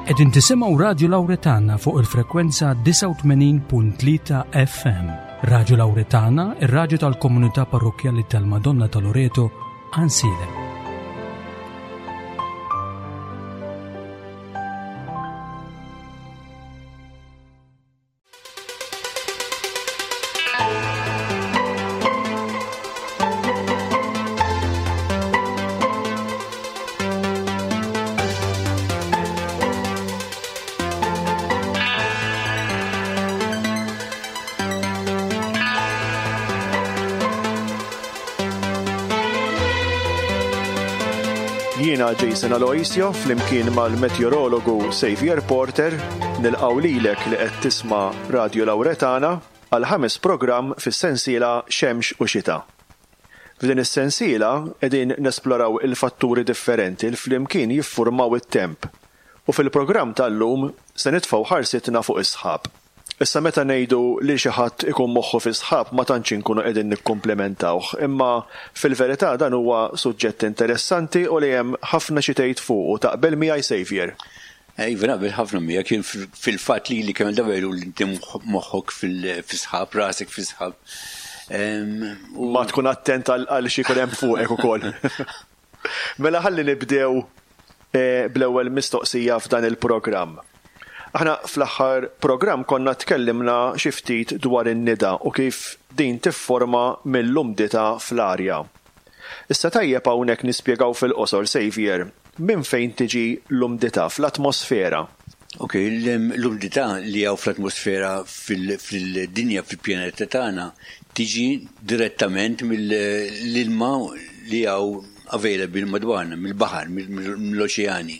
Qegħdin tisimgħu Radju Lawretana fuq il-frekwenza 89.3 FM. Radju Lawretana, ir-radju tal-komunità parrokkjali tal-Madonna ta' Loreto, Għansielem. Jiena Jason Aloisio flimkien mal-meteorologu Xavier Porter nilqgħu lilek li qed tisma' Radio Lauretana għal ħames programm fis-sensiela Xemx u Xita. F'din is-sensiela qegħdin nesploraw il-fatturi differenti l flimkien jiffurmaw it-temp u fil-programm tal-lum se nitfgħu ħarsitna fuq is-sħab. Issa meta ngħidu li xi ħadd ikun moħħu fis-sħab ma tantx inkunu qegħdin nikkumplimentawh, imma fil-verità dan huwa suġġett interessanti u li hemm ħafna xi tgħid fuqu, taqbel miegħi Saviour? Iva naqbel ħafna miegħek, jien fil-fatt lili kemm il-darba jgħiduli inti moħħok fis-sħab, rasek fis-sħab. Ma tkun attent għal xi jkun hemm fuqek ukoll. Mela ħalli nibdew bl-ewwel mistoqsija f'dan il-programm. Aħna fl-aħħar programm konna tkellimna xi ftit dwar in-nida u kif din tifforma mill-umdità fl-arja. Issa tajjeb hawnhekk nispjegaw fil-qosor, Saviour, minn fejn tiġi l-umdità fl-atmosfera. Ok, l-umdità li hawn fl-atmosfera fil-dinja, fil-pjaneta tagħna, tiġi direttament mill-ilma li hawn available madwarna, mill-baħar, mill-oċeani.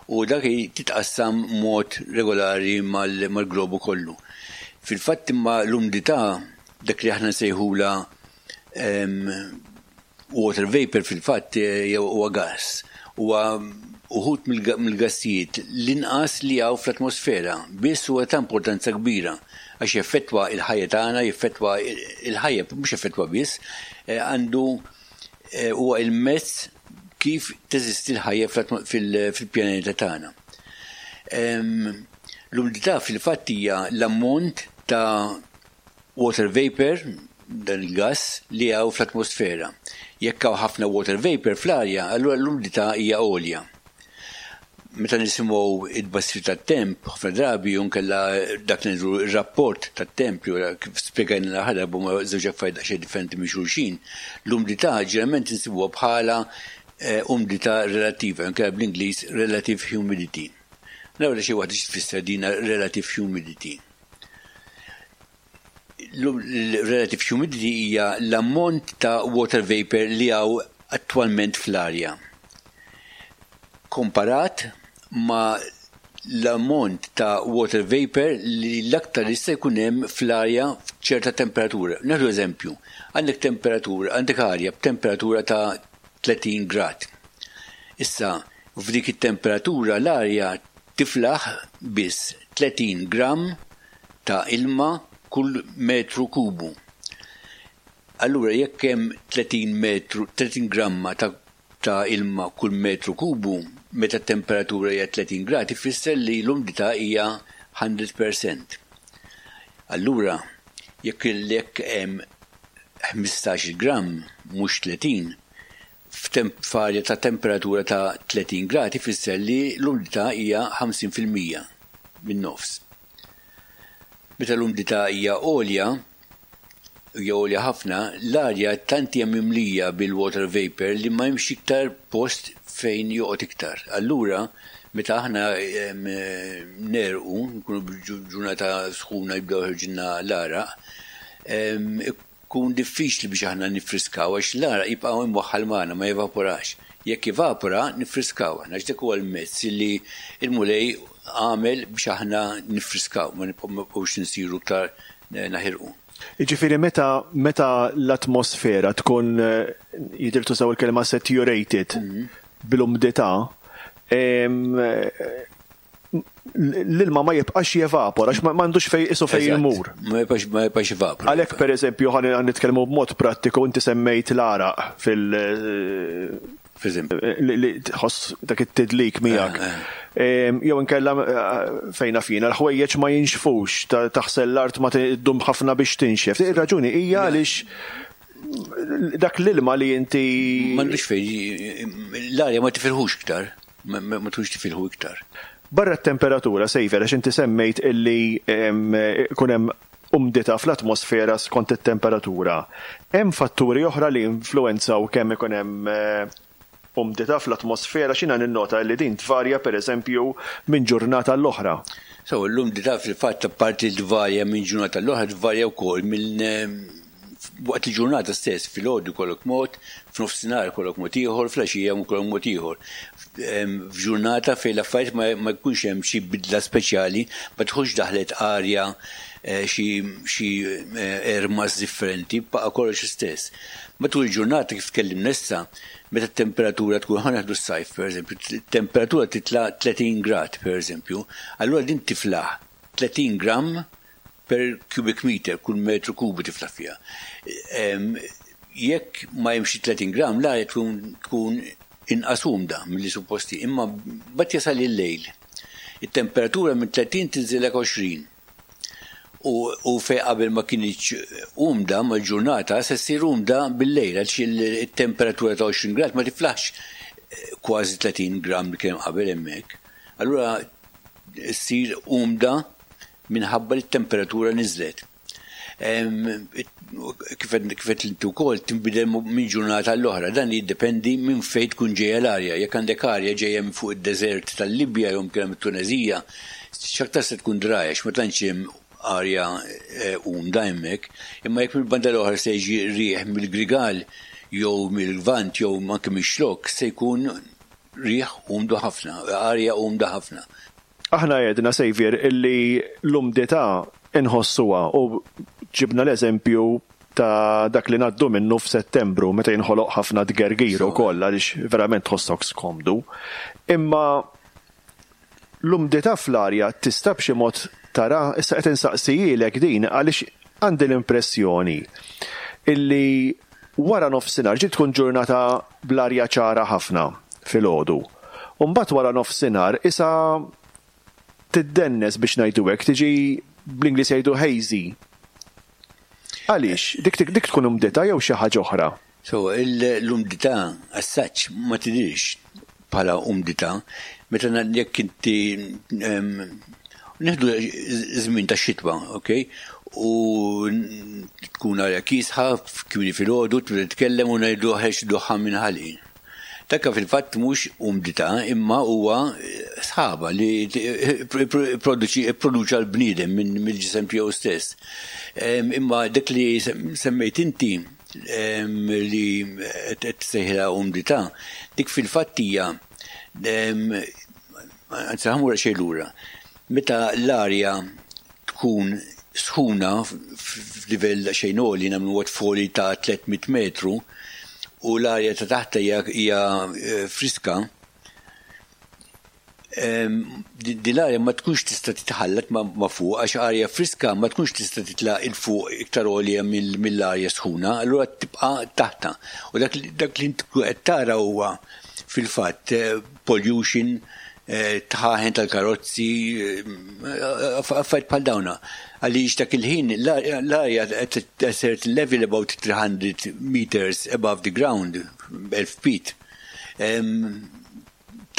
U dak titqassam mod regolari mal-globu kollu. Fil-fatt imma l-umdità, dak li aħna nsejħulha Water vapor fil-fatt huwa gass. Huwa uħud mill-gassijiet l-inqas li hawn fl-atmosfera, biss huwa ta' importanza kbira għax jeffettwa l-ħajja tagħna, jeffettwa l-ħajja, mhux jeffettwa biss, għandu huwa il-mezz kif teżisti l-ħajja fil-pjaneta tagħna. L-umdità fil-fatt hija l-ammont ta' Water vapor, dan il-gass li hawn fl-atmosfera. Jekk hawn ħafna water vapor fl-arja, allura l-umdità hija għolja. Meta nisimgħu it-tbassir tat-temp, ħafna drabi jew inkella dak li ngħidu r-rapport tat-temp li kif spjegajna l-aħħar darba huma żewġ affarijiet daqsxejn differenti minn xulxin, l-umdità ġeneralment insibuha bħala umdità relattiva jew inkella bl-Ingliż relative humidity. Naraw xi waħda xi tfisser din relative humidity. L-relative humidity hija l-ammont ta' water vapor li hawn attwalment fl-arja komparat ma' l-ammont ta' water vapor li l-aktar jista' jkun hemm fl-arja f'ċerta temperatura. Nieħdu eżempju, għandek temperatura, għandek arja b'temperatura ta' 30 grad. Issa, f'dik it-temperatura l-arja Tiflaħ biss 30 gramm ta' ilma kull metru kubu. Allura jekk hemm 30 metru, 30 gramma ta' ta' ilma kull metru kubu, meta t-temperatura hija 30 grad ifisser li l-umdità hija 100 percent. Allura jekk jekk hemm 15-il gramm mhux 30, f'arja ta' temperatura ta' 30 grad ifisser li l-umdità hija 50%, min-nofs. Meta l-umdità hija għolja, hija għolja ħafna, l-arja tant hija mimlija bil-water vapor li ma hemmx iktar post fejn joqgħod iktar. Allura, meta aħna negħrqu, nkunu ġurnata sħuna jibdew joħorġilna l-għaraq, Ikun diffiċli biex aħna niffriskaw għax l-għaraq jibqa' imwaħħal magħna, ma jevaporax. Jekk jevapora, niffriskaw aħna għax dak huwa l-mezz li l-Mulej għamel biex aħna niffriskaw, ma nibqgħux insiru iktar naħirqu. Jiġifieri meta meta l-atmosfera tkun jidher tużaw il-kelma saturated bl-umdità, l-ilma ma jibqax jevapora, għax m'għandux fej isu fejn imur. Ma jibqax ma jibqax jevapora. Għalhekk pereżempju ħa nitkellmu b'mod prattiku inti semmejt l-għaraq fil li tħoss dak it-tidlik miegħek. Jew inkella fejn naf jiena l-ħwejjeġ ma jinxfux, taħsel l-art ma ddum ħafna biex tinxef. Ir-raġuni hija għaliex dak l-ilma li inti. M'għandux fejn l-arja ma tifilħux iktar, ma tkunx tifilħu iktar. Barra t-temperatura, Xavier, għax inti semmejt illi ikun hemm umdità fl-atmosfera skont it-temperatura. Hemm fatturi oħra li jinfluwenzaw kemm ikun hemm umdità fl-atmosfera? X'jiena ninnota li din tvarja pereżempju minn ġurnata għall-oħra. So, l-umdità fil-fatt apparti li tvarja minn ġurnata għall-oħra tvarja wkoll minn waqt il-ġurnata stess, filgħodu jkollok mod, f'nofsinhar ikollok mod ieħor, fl-għaxija jkollok mod ieħor. F'ġurnata fejn l-affarijiet ma jkunx hemm xi bidla speċjali, ma tkunx daħlet arja xi xi air mass differenti, baqa' kollox l-istess. Matul il-ġurnata kif tkellimna issa, meta t-temperatura tkun, ħa nieħdu s-sajf pereżempju, t-temperatura titla' 30 grad pereżempju, allura din tiflaħ 30 gramm per cubic meter, kull metru kubu tiflaħ fiha. Jekk ma hemmx 30 gramm, l-arja tkun tkun inqas umda milli suppost hi, imma mbagħad jasal il-lejl. It-temperatura minn 30 tinżillek 20. U, u fej qabel ma kinitx umda mal-ġurnata, se ssir umda bil-lejl, għaliex il-temperatura ta' 20 grad ma tiflaħx kważi 30 gram li kien qabel hemmhekk. Allura ssir umda minħabba li t-temperatura niżlet. Kif qed inti wkoll tinbidel minn ġurnata għall-oħra, dan jiddependi minn fejn tkun ġejja l-arja. Jekk għandek arja ġejja minn fuq id-deżert tal-Libja jew inkella mit-Tuneżija, x'aktar se tkun dry għax ma tantx hemm arja umda hemmhekk. Imma jekk mill-banda l-oħra se jiġi riħ mill-Grigal jew mill-Lvant jew anke mix-Xlokk se jkun riħ umdu ħafna, arja umda ħafna. Aħna għedna, Saviour, illi l-umdità inħossuha u ġibna l-eżempju ta' dak li ngħaddu minnu f'Settembru meta jinħoloq ħafna tgergir ukoll għaliex verament tħossok skomdu. Imma l-umdità fl-arja tista' b'xi mod tara, issa qed insaqsihielek din għaliex għandi l-impressjoni illi wara nofsinhar, ġieli tkun ġurnata bl-arja ċara ħafna filgħodu. U mbagħad wara nofsinhar isa tiddennes biex ngħidu hekk, tiġi bl-Ingliż jgħidu hazy. Għaliex? Dik dik tkun umdità jew xi ħaġa oħra? So, l-umdità as such ma tidhirx bħala umdità. Meta jekk inti nieħdu żmien ta' xitwa, ok? U tkun arja kiesħa, kmieni filgħodu, tibda titkellem u ngħidu ħex duħħan minn ħalqi. Dak fil-fatt mhux umdità imma huwa sħaba li produċa l-bniedem mill-ġisem tiegħu stess. Imma dak li semmejt inti li qed tsejħilha umdità, dik fil-fatt hija anzi ħa mmur xejn lura. Meta l-arja tkun sħuna f'livell xejn għoli, nagħmlu waqt foli ta' 300 metru, u l-arja ta' taħt hija friska, din l-arja ma tkunx tista' titħallat ma' fuq għax arja friska ma tkunx tista' titla' 'il fuq iktar għolja mill-arja sħuna, allura tibqa' taħtha. U dak li int qed tara huwa fil-fatt pollution, tħaħen tal-karozzi, affarijiet bħal dawna. Għaliex dak il-ħin l-arja at a certain level about 300 meters above the ground, 1000 feet.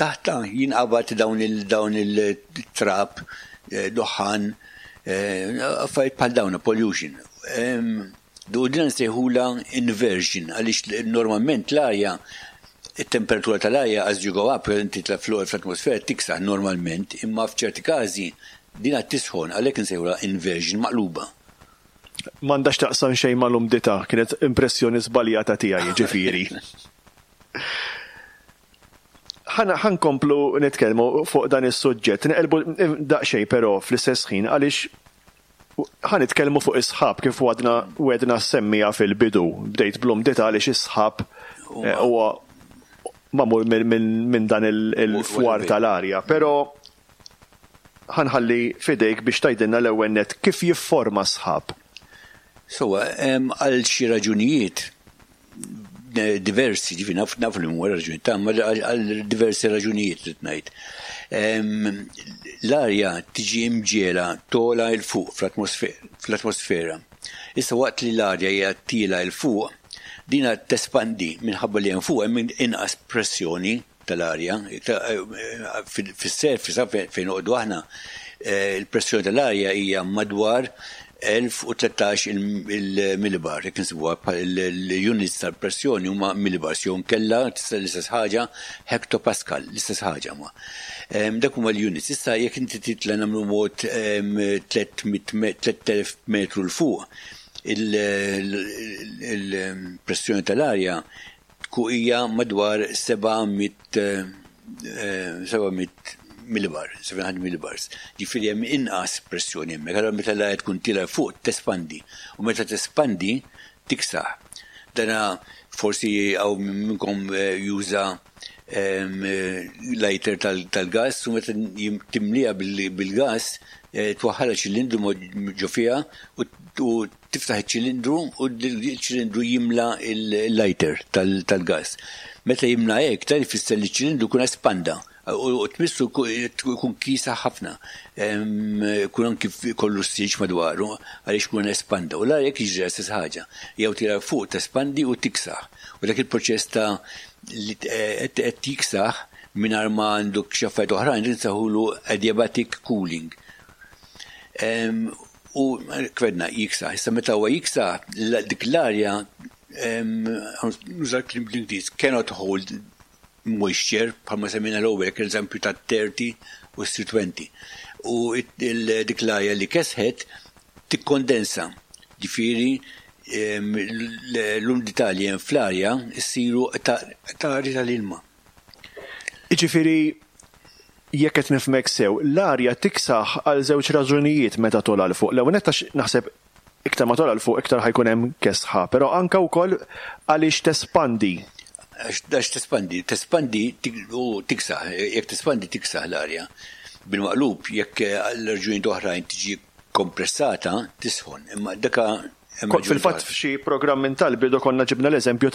Taħta jinqabad dawn il-trab, duħħan, affarijiet bħal dawna, pollution. U din nsejħulha inversion għaliex normalment l-arja it-temperatura tal-arja as you go up, inti titla' fl-atmosfera tiksaħ normalment, imma f'ċerti każi din għad tisħon għalhekk insejħulha inversion maqluba. M'għandha x'taqsam xejn mal-umdità, kienet impressjoni żbaljata tiegħi jiġifieri. Ħa nkomplu nitkellmu fuq dan is-suġġett, neqilbu daqsxejn però fl-istess ħin għaliex Ħa nitkellmu fuq is-sħab kif għadna wegħdna semmija fil-bidu. Bdejt bl-umdità għaliex is-sħab huwa magħmul minn dan il-fwar tal-arja. Però ħa nħalli f'idejk biex tgħidilna l-ewwel nett kif jifforma s-sħab. Sewwa, għal xi raġunijiet. diversi, ġifi naf naf li huwa raġuni ta' ma għal diversi raġunijiet li ngħid. L-arja tiġi imġiegħla togħla 'l fuq fl-atmosfera. Issa waqt li l-arja hija tiela 'l fuq, dina tespandi minħabba li hemm fuq hemm inqas pressjoni tal-arja. Fis-surface fejn noqogħdu aħna, il-pressjoni tal-arja hija madwar 1013 il-millibar, jekk insibuha l-units tal-pressjoni huma millibars jew inkella tista' l-istess ħaġa hectopascal, l-istess ħaġa huma. Dak huma l-units. Issa jekk inti titla' nagħmlu mod 3000 metru 'l fuq, il-pressjoni tal-arja tkun hija madwar 700 700 millibar, 700 millibars. Ġifieri hemm inqas pressjoni hemmhekk. Allura meta l-arja tkun tiela' fuq tespandi u meta tespandi tiksaħ. Dana forsi hawn minnkom juża lighter tal-gas u meta timliha bil-gas twaħħalha ċilindru ġo fiha u tiftaħ iċ-ċilindru u l-ċilindru jimla l-lighter tal-gas. Meta jimla hekk, dan ifisser li ċ-ċilindru jkun espanda u tmissu jkun kiesaħ ħafna. Jkun anki kollu s-silġ madwaru għaliex ikun espanda. U l-arja jiġri l-istess ħaġa. Jew tira fuq tespandi u tiksaħ. U dak il-proċess ta' li qed jiksaħ mingħajr ma għanduk xi affarijiet oħrajn insejħulu adiabatic cooling. U kif għedna jiksaħ. Issa meta huwa jiksaħ, dik l-arja, nuża kliem bl-Ingliż, cannot hold moisture, bħalma semmejna l-ewwel, eżempju ta' 30 u 20. U dik l-arja li kesħet tikkondensa. Ġifieri l-umdità li hemm fl-arja ssiru qtari tal-ilma. Ġifieri jekk qed nifhmek sew, l-arja tiksaħ għal żewġ raġunijiet meta togħla 'l fuq. L-ewwel nett għax naħseb iktar ma togħla 'l fuq iktar ħa jkun hemm kesħa, però anke wkoll għaliex tespandi. Għax tespandi, tespandi u tiksaħ, jekk tespandi tiksaħ l-arja. Bil-maqlub, jekk għal raġunijiet oħrajn tiġi kompressata, tisħon. Imma daka Fil-fatt f'xi programm minn tal-bidu konna ġibna l-eżempju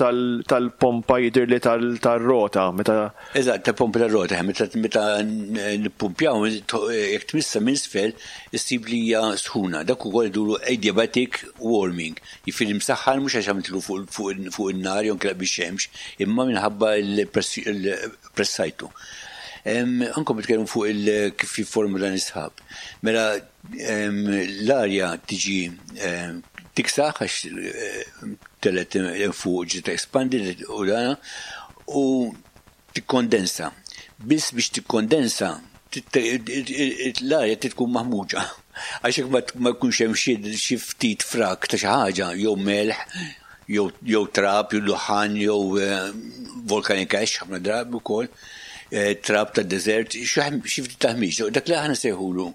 tal-pompa jidirli tal-rota meta Eżatt, tal-pompa tal-rota, meta nippumpjaw, jekk tmissa minn isfel, issib li hija sħuna. Dak ukoll iduru adiabatic warming. Jifieri msaħħan mhux għax għamiltlu fuq in-nar jew inkella bix-xemx, imma minħabba l-pressajtu. Anke nitkellmu fuq kif jifformu dan is-sħab. Mela l-arja tiġi tiksaħ għax telgħet fuq ġiet expandi u dana u tikkondensa. Biss biex tikkondensa l-arja tkun maħmuġa. Għax jekk ma jkunx hemm xi ftit frak ta' xi ħaġa jew melħ jew trab, jew duħan, jew volcanic ash ħafna drabi wkoll, trab ta' desert, xi ftit taħmiġ. Dak li aħna sejħulu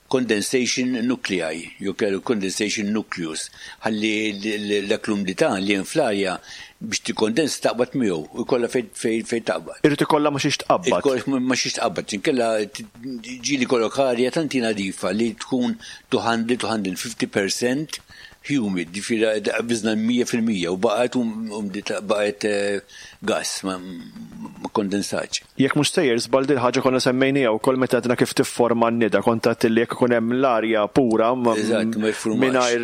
condensation nuclei, jew kellu condensation nucleus, ħalli dak l-umdità li hemm fl-arja biex tikkondensa taqbad miegħu u jkollha fejn taqbad. Irid ikollha ma xiex tqabbad. Ma xiex tqabbad, inkella ġieli kollok arja tant nadifa li tkun 200 250% humid, ġifieri qbiżna 100% u baqgħet umdità baqgħet gas ma kondensatx. Jekk mhux sejjer żball din ħaġa konna semmejnija wkoll meta għedna kif tifforma n-nida, kont għedt li jekk ikun hemm l-arja pura Eżatt, ma jiffurmax. mingħajr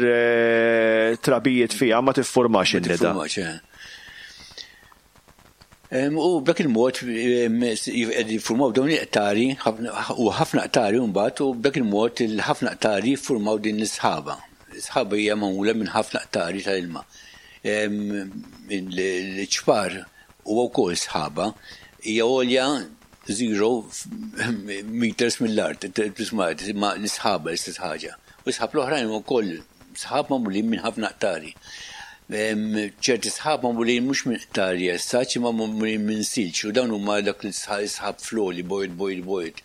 trabijiet fiha ma tiffurmax in-nida. Tiffurmax, eh. U b'dak il-mod qed jiffurmaw dawn il-qtari u ħafna qtari mbagħad u b'dak il-mod il-ħafna qtari jiffurmaw din l-isħaba. L-isħaba hija magħmula minn ħafna qtari tal-ilma. L-ċpar huwa wkoll sħaba hija għolja 0 meters mill-art, tisma' ma l-isħaba l-istess ħaġa. U sħab l-oħrajn huma wkoll sħab magħmulin minn ħafna qtari. Ċerti sħab magħmulin mhux minn qtari essaċ imma magħmulin minn silġ u dawn huma dak l-sħab floli bojod bojod bojod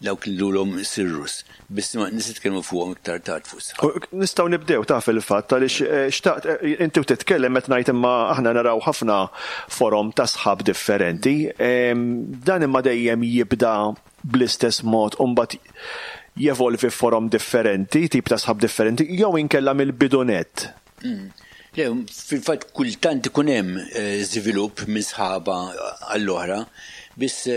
dawk li lulhom cirrus. Biss ma nitkellmu fuqhom iktar tard fuq sħab. U nistgħu nibdew ta' fil-fatt għaliex xtaqt inti u titkellem qed ngħid imma aħna naraw ħafna forom ta' sħab differenti. Dan imma dejjem jibda bl-istess mod u mbagħad jevolvi forom differenti, tip ta' sħab differenti, jew inkella mill-bidu nett. Le, fil-fatt kultant ikun hemm żvilupp minn sħaba għall-oħra, biss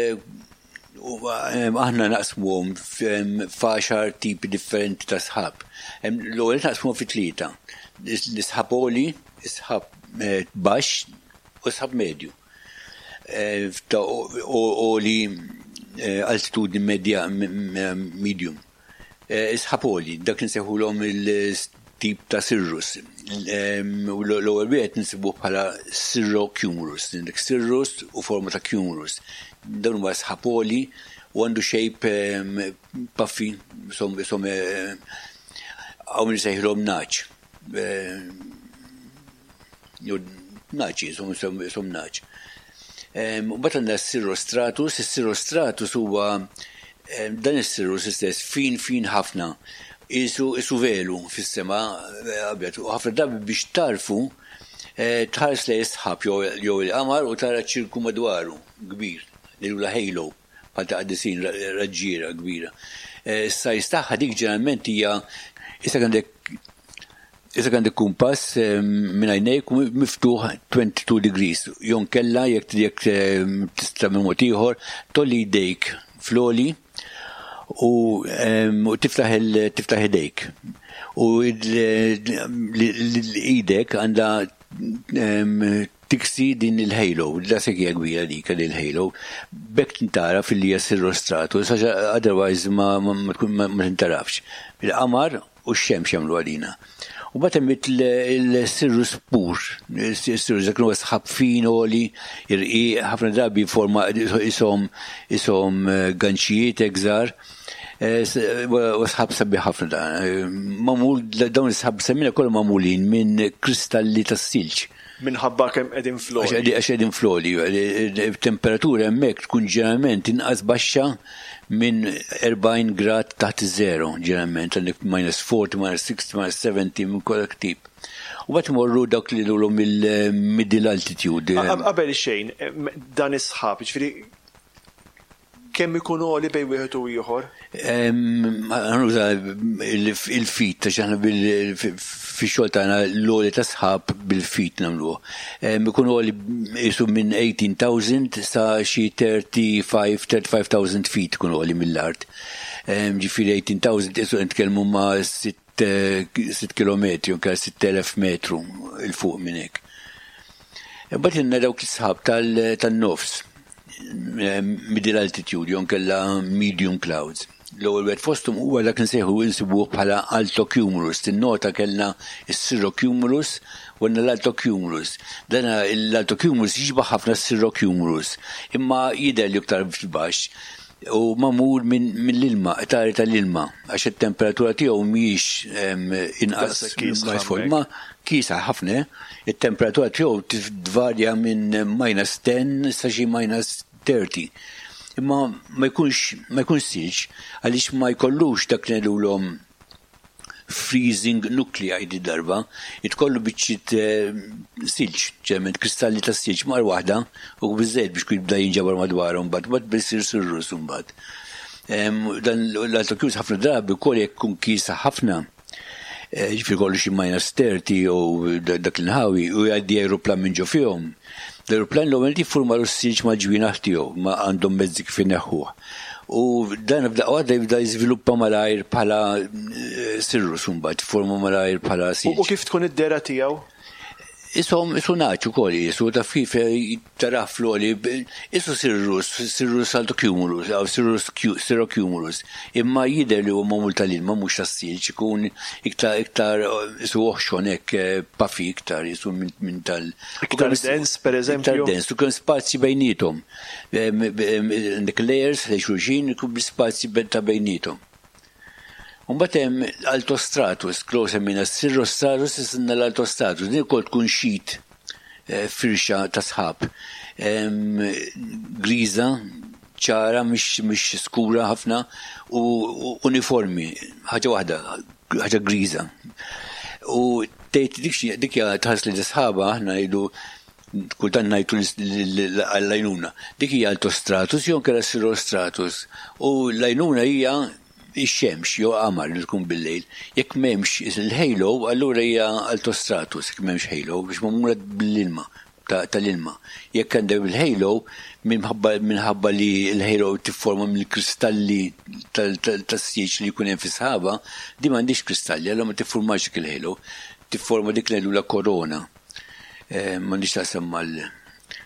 aħna naqsmuhom f'għaxar tipi differenti ta' sħab. L-ewwel naqsmuhom fi tlieta. L-isħab għoli, is-sħab baxx u s-sħab medju. Għoli altitudni medja medium. Is-sħab għoli, dak li nsejħulhom il-tip ta' cirrus. L-ewwel wieħed nsibuh bħala cirrocumulus, għandek cirrus u forma ta' cumulus. Dawn huma sħab għoli u għandu shape puffy, isom hawn min isejħilhom nagħaġ. Jew nagħaġ isom isom nagħaġ. Mbagħad għandna s-cirrostratus, is-cirrostratus huwa dan is-cirrus istess fin fin ħafna, isu isu velu fis-sema abjad u ħafna drabi biex tarfu tħares lejn is-sħab jew il-qamar u tara ċirku madwaru kbir, ngħidulha halo, bħal ta' qaddisin raġġiera kbira. Is-size tagħha dik ġeneralment hija issa għandek Issa għandek kumpass minn għajnejk u miftuħ 22 degrees. Jew inkella jekk jekk tista' minn mod ieħor tolli jdejk fl-għoli u tiftaħ tiftaħ idejk. U l-idek għandha tiksi din il-halo, daqshekk hija kbira dik il-halo. B'hekk tintaraf illi hija cirrostratus, għax otherwise ma ma tintarafx. Il-qamar u x-xemx jagħmlu għalina. U mbagħad hemm il-cirrus pur, il-cirrus dak huwa sħab fin għoli, irqiq, ħafna drabi forma ishom ishom ganċijiet hekk żgħar. U sħab sabiħ ħafna dan. Magħmul dawn is-sħab semmina kollha magħmulin minn kristalli tas-silġ. Minħabba kemm qegħdin fl-għoli. Għax qegħdin fl-għoli. Temperatura hemmhekk tkun ġeneralment inqas baxxa minn 40 grad taħt iż-żero, ġeneralment għandek minus 40, minus 60, minus 70 minn kollha tip. U mbagħad imorru dawk li ngħidulhom il-middle altitude. Qabel xejn, dan is-sħab, jiġifieri Kemm ikun għoli bejn wieħed u ieħor? Ħa nuża il-feet għax aħna fix-xogħol tagħna l-għoli ta' sħab bil-feet nagħmluh. Ikun għoli qisu minn 18,000 sa xi 35, 35,000 feet ikun għoli mill-art. Ġifieri 18,000 qisu qed nitkellmu ma' 6 kilometri jew 6,000 metru 'l fuq minn hekk. Imbagħad għandna dawk is-sħab tan-nofs, middle altitude jew inkella medium clouds. L-ewwel wieħed fosthom huwa dak li nsejħu insibuh bħala altocumulus. Tinnota kellna s-cirrocumulus u għandna l-altocumulus. Dan l-altocumulus jixbah ħafna s-cirrocumulus, imma jidher li iktar fil-baxx u magħmul mill-ilma, qtari tal-ilma, għax it-temperatura tiegħu mhijiex inqas ma kiesaħ ħafna, it-temperatura tiegħu tvarja minn minus 10 sa xi minus 30. Imma ma jkunx ma jkunx silġ għaliex ma jkollux dak li ngħidulhom freezing nuclei di darba, jitkollu biċċiet silġ, ġeneralment kristalli ta' silġ mar waħda u biżżejjed biex jibda jinġabar madwarhom mbagħad, mbagħad biss isir cirrus imbagħad. Dan l-altocumulus ħafna drabi wkoll jekk ikun kiesaħ ħafna, ġifieri kollu xi minus 30 jew dak l-inħawi u jgħaddi ajruplan minn ġo fihom. L-ajruplan l-ewwel jiffurma l-silġ mal-ġwienaħ tiegħu, ma għandhom mezzi kif ineħħuh. U dan f'daqqa waħda jibda jiżviluppa malajr bħala cirrus imbagħad, jiffurma malajr bħala silġ. U kif tkun id-dehra tiegħu? Ishom isu nagħaġ ukoll qisu taf kif tarah fl-għoli isu cirrus, cirrus altocumulus aw cirrus cirrocumulus imma jidher li huwa magħmul tal-ilma mhux tas-silġ ikun iktar iktar isu oħxon hekk puffy iktar isu minn tal Iktar dens pereżempju? Iktar dens u kemm spazji bejniethom. Għandek layers ħdejn xulxin bl-ispazji ta' bejniethom. U mbagħad hemm l-altostratus, klo semmejna s-cirrostratus, issa għandna l-altostratus. Din ukoll tkun sheet firxa ta' sħab. Griża, ċara, mhix skura ħafna u uniformi, ħaġa waħda, ħaġa griża. U tgħid dik dik hija tħass li sħaba aħna ngħidu kultant ngħidu għall-għajnuna. Dik hija altostratus jew inkella cirrostratus. U l-għajnuna hija. Ix-xemx jew qamar li tkun bil-lejl. Jekk m'hemmx il-halo, allura hija altostratus jekk m'hemmx halo, biex magħmula bl-ilma tal-ilma. Jekk għandek bil-halo, minħabba minħabba li l-halo tifforma mill-kristalli tas-sieġ li jkun hemm fis-sħaba, di m'għandix kristalli, allura ma tiffurmax dik il-halo, tifforma dik li ngħidulha korona. Eh, m'għandix taqsam mal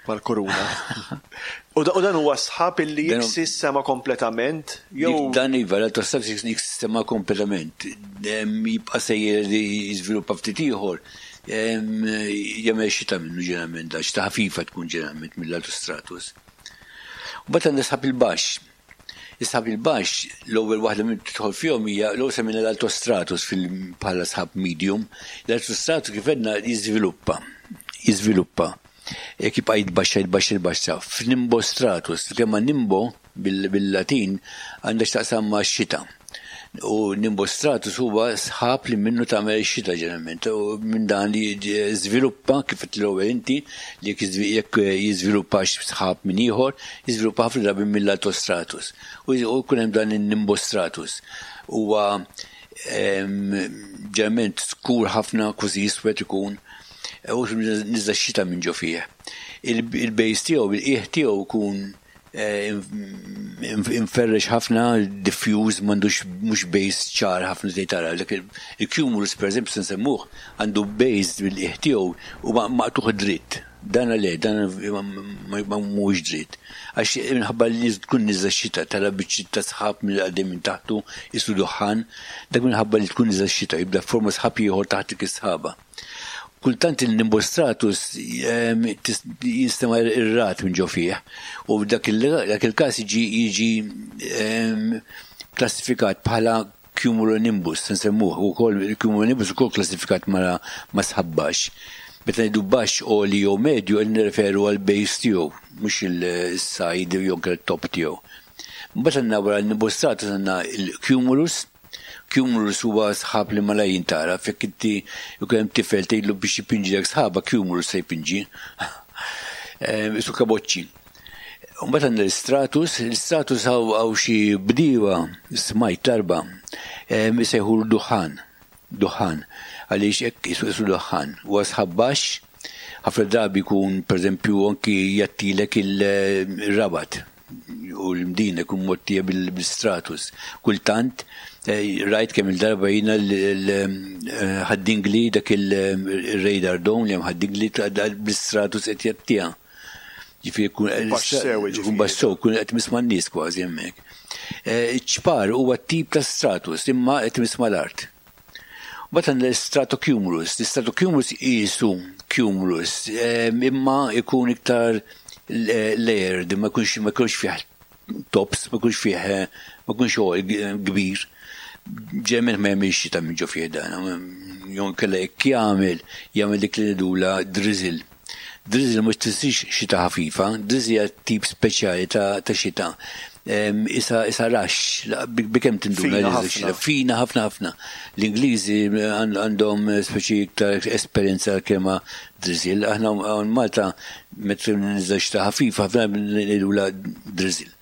Mal-kuruna. U dan huwa sħab illi jiksi s-sema kompletament? Jew Dan iva, l-altostratus jiksi s-sema kompletament. Jibqa' sejjer li jiżviluppa ftit ieħor. Jagħmel xita minnu ġeneralment, da xita ħafifa tkun ġeneralment mill-altostratus. U mbagħad għandna sħab il-baxx. Is-sħab il-baxx, l-ewwel waħda minn tidħol fihom hija l-ewwel semmejna l-altostratus bħala sħab medium. L-altostratus kif għedna jiżviluppa, jiżviluppa. Jekk jibqa' jitbaxxa, jitbaxxa, jitbaxxa. F'nimbostratus, il-kelma nimbo bil-Latin għandha x'taqsam ma' xita. U nimbostratus huwa sħab li minnu tagħmel ix-xita ġeneralment. U minn dan li żviluppa kif qed l-ewwel inti li jekk jiżviluppax sħab minn ieħor, jiżviluppa ħafna drabi mill-altostratus. U jkun hemm dan in-nimbostratus. Huwa ġeneralment skur ħafna, kważi iswed ikun, u niżla x-xita minn ġo fih. Il-base tiegħu, il-qiegħ tiegħu jkun eh, inferrex ħafna, diffuse, m'għandux mhux base ċar ħafna li tara. Dak il-cumulus pereżempju se nsemmuh għandu base bil-qiegħ tiegħu u maqtuħ dritt. Dan le, dan ma mhuwiex dritt. Għax minħabba li tkun niżla xita tara biċċiet ta' sħab mill għaddej minn taħtu isu duħħan, dak minħabba li tkun niżla xita jibda forma sħab ieħor taħt dik is-sħaba. Kultant il-nimbostratus jinstema' ir-ragħad minn ġo fih u f'dak il-każ jiġi jiġi klassifikat bħala cumulonimbus, se nsemmuh ukoll il-cumulonimbus ukoll klassifikat ma' sħab baxx. Meta ngħidu baxx, għoli jew medju qed nirreferu għall-base tiegħu, mhux il-side jew anke t-top tiegħu. Mbagħad għandna wara l-nimbostratus għandna l-cumulus, Cumulus huwa sħab li malajr jintgħaraf, jekk inti jkun hemm tifel tgħidlu biex jpinġilek sħaba, cumulus se jpinġi. Isu kaboċċi. Mbagħad għandna l-istratus, l-istratus hawn xi bdiewa smajt darba isejħulu duħħan, duħħan, għaliex hekk isu isu duħħan. Huwa sħab baxx, ħafna drabi jkun pereżempju anki jgħattilek il-rabat. u l-Mdina jkun mgħottija bil-stratus. Kultant eh, rajt kemm il-darba jiena l-ħaddingli dak il-radar dome li hemm ħaddingli bil-stratus qed jgħattiha. Ġifieri kun baxx sew, kun qed misma' n-nies kważi hemmhekk. Eh, ċpar huwa tip ta' stratus imma qed misma' l-art. Mbagħad għandna l-stratocumulus. L-stratocumulus qisu cumulus imma jkun iktar layered, ma jkunx ma jkunx fih tops, ma jkunx fih ma jkunx kbir. Ġeneralment ma jagħmilx xita minn ġo fih dan. Jew inkella jekk jagħmel, jagħmel dik li ngħidulha drizzle. Drizzle mhux tfissirx xita ħafifa, drizzle hija tip speċjali ta' xita. Isa isa raxx, bi kemm tinduna li xita. Fina ħafna ħafna. L-Ingliżi għandhom speċi iktar esperjenza kelma drizzle. Aħna hawn Malta meta niżel xita ħafifa ħafna ngħidulha drizzle.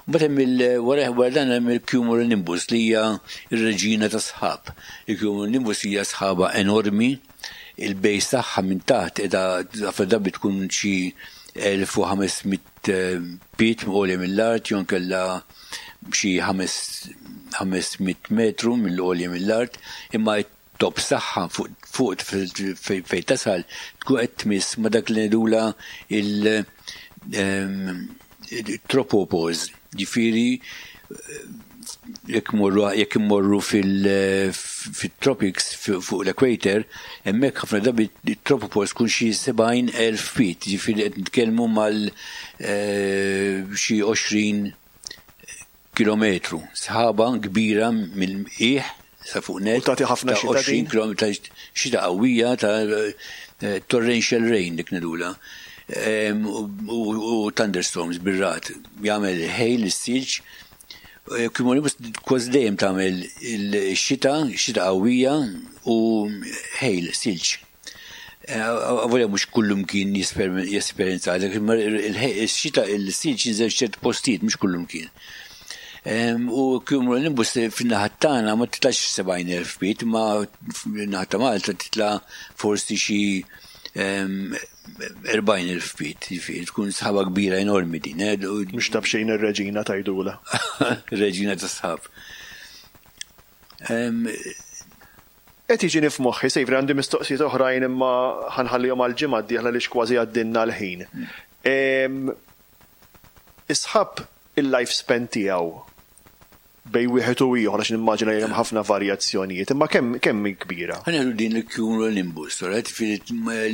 Mbagħad hemm il wara wara dan hemm il-cumulonimbus li hija r-reġina tas-sħab. Il-cumulonimbus hija sħaba enormi Il-base tagħha minn taħt qiegħda ħafna drabi tkun xi 1500 pied għolja mill-art jew inkella xi 500 metru mill-għolja mill-art, imma t-tops tagħha fuq fejn tasal tkun qed tmiss ma' dak li ngħidulha il-tropopause, ġifieri jekk morru jekk immorru fil-tropics fuq l-equator, hemmhekk ħafna drabi t-tropopause tkun xi 70,000 feet, ġifieri qed nitkellmu mal eh, xi 20 kilometru. Sħaba kbira mill-qiegħ sa fuq net. U tagħti ħafna xita 20 km xita qawwija ta' eh, torrential rain dik ngħidulha. U thunderstorms bir-ragħad. Jagħmel hail is-silġ. Eh, cumulonimbus kważi dejjem tagħmel il-xita, xita qawwija u hail, silġ. Eh, avolja mhux kullumkien jesperjenza għalhekk, imma il-xita il-silġ jinżel f'ċerti postijiet mhux kullumkien. U cumulonimbus fin-naħa tagħna ma titlax 70,000 feet, ma fin-naħa ta' Malta titla' forsi xi 40,000 feet, jiġifieri tkun sħaba kbira enormi din. Eh, Mhux ta' b'xejn ir-reġina tgħidulha. Reġina tas-sħab. Qed jiġini f'moħħi, Saviour, għandi mistoqsijiet oħrajn imma ħa nħallihom għall-ġimgħa d-dieħla għaliex kważi għaddilna l-ħin. Is-sħab il-life span tiegħu bejn wieħed u ieħor għax nimmaġina li hemm ħafna varjazzjonijiet, imma kemm kemm hi kbira? Ħa nieħdu din il-cumulonimbus, alright,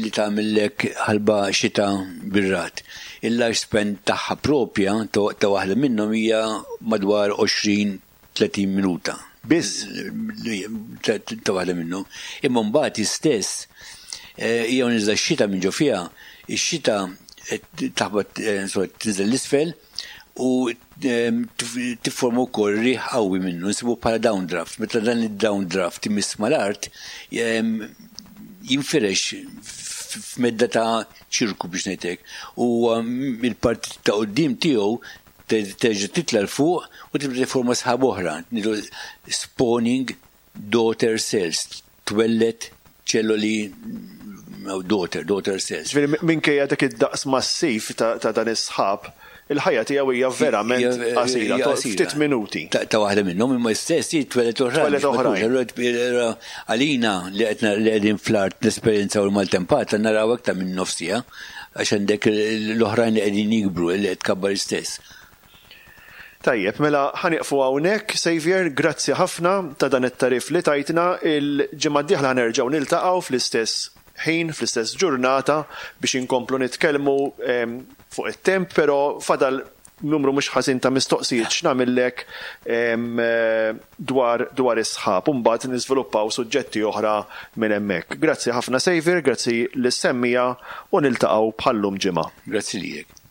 li tagħmillek ħalba xita bir-ragħad. Il-life span tagħha propja ta' waħda minnhom hija madwar 20 30 minuta. Biss? Ta' waħda minnhom. Imma mbagħad hi stess eh, hija niżla x-xita minn ġo fiha, ix-xita taħbat eh, tinżel l-isfel u eh, tifforma wkoll riħ qawwi minnu, nsibu bħala downdraft. Meta dan id-downdraft imiss mal-art, jinfirex f'medda ta' ċirku biex ngħidlek. U il-parti ta' quddiem tiegħu terġa' titla' 'l fuq u tibda tifforma sħab oħra, ngħidu spawning daughter cells, twelled ċelloli daughter, daughter cells. Ġifieri minkejja dak id-daqs massiv ta' dan is-sħab, il-ħajja tiegħu hija verament qasira, ftit minuti. Ta' waħda minnhom imma stess hi twelled oħrajn. Twelled oħrajn. Għalina li qed li qegħdin fl-art nesperjenzaw il-maltempata naraw aktar minn nofs siegħa. Għax għandek l-oħrajn li qegħdin jikbru, li qed tkabbar istess. Tajjeb, mela ħa nieqfu hawnhekk, Saviour, grazzi ħafna ta' dan it-tagħrif li tajtna. Il-ġimgħa d-dieħla ħa nerġgħu niltaqgħu fl-istess ħin, fl-istess ġurnata biex inkomplu nitkellmu fuq it-temp, però fadal numru mhux ħażin ta' mistoqsijiet x'nagħmillek dwar dwar is-sħab u mbagħad niżviluppaw suġġetti oħra minn hemmhekk. Grazzi ħafna Saviour, grazzi lis-semmiegħa u niltaqgħu bħal-lum ġimgħa. Grazzi lilek.